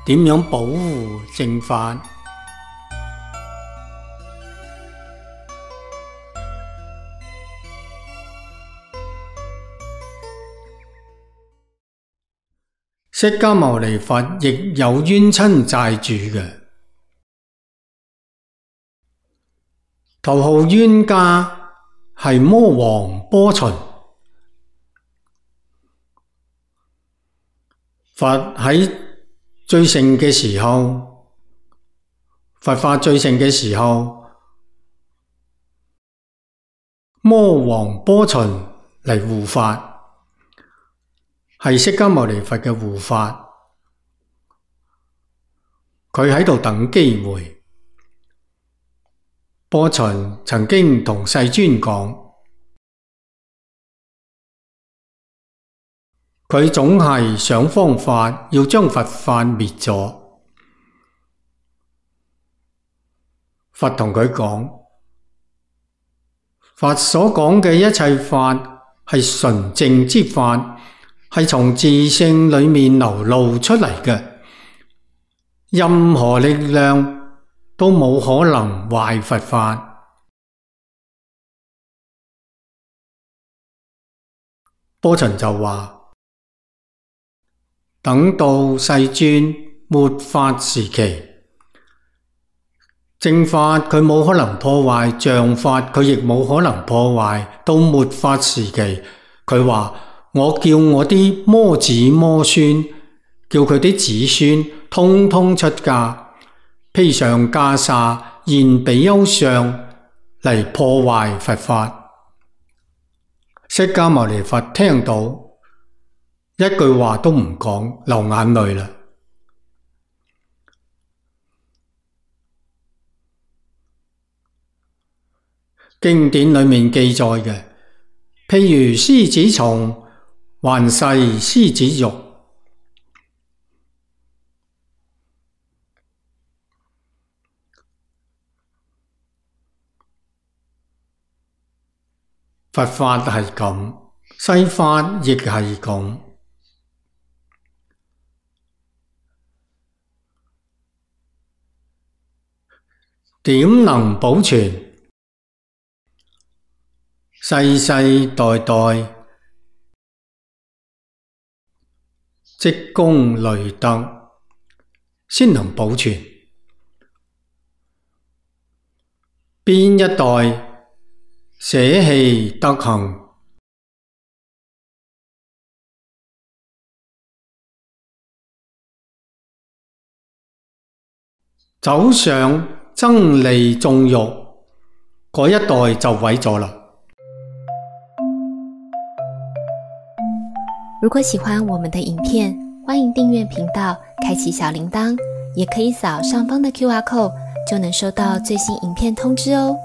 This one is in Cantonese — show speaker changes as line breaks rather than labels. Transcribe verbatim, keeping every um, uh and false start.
點樣保護正法？釋迦牟尼佛亦有冤親債主嘅，頭號冤家係魔王波旬。佛喺最盛嘅時候，佛法最盛嘅時候，魔王波旬嚟護法。係釋迦牟尼佛嘅護法，佢喺度等機會。波旬曾經同世尊講，佢總係想方法要將佛法滅咗。佛同佢講，佛所講嘅一切法係純正之法，係從自性裏面流露出嚟嘅，任何力量都冇可能壞佛法。波旬就話，等到世尊末法時期，正法佢冇可能破壞，像法佢亦冇可能破壞。到末法時期，佢話，我叫我啲魔子魔孫，叫佢啲子孫通通出家，披上袈裟，現比丘相嚟破壞佛法。釋迦牟尼佛聽到，一句話都唔講，流眼淚啦。經典裏面記載嘅，譬如獅子蟲還噬獅子肉，佛法係咁，世法亦係咁。點能保存？世世代代積功累德，先能保存。邊一代捨棄德行，走上爭利縱欲，嗰一代就毀咗啦。
如果喜歡我們的影片，歡迎訂閱頻道，開啟小鈴鐺，也可以掃上方的 Q R code，就能收到最新影片通知哦。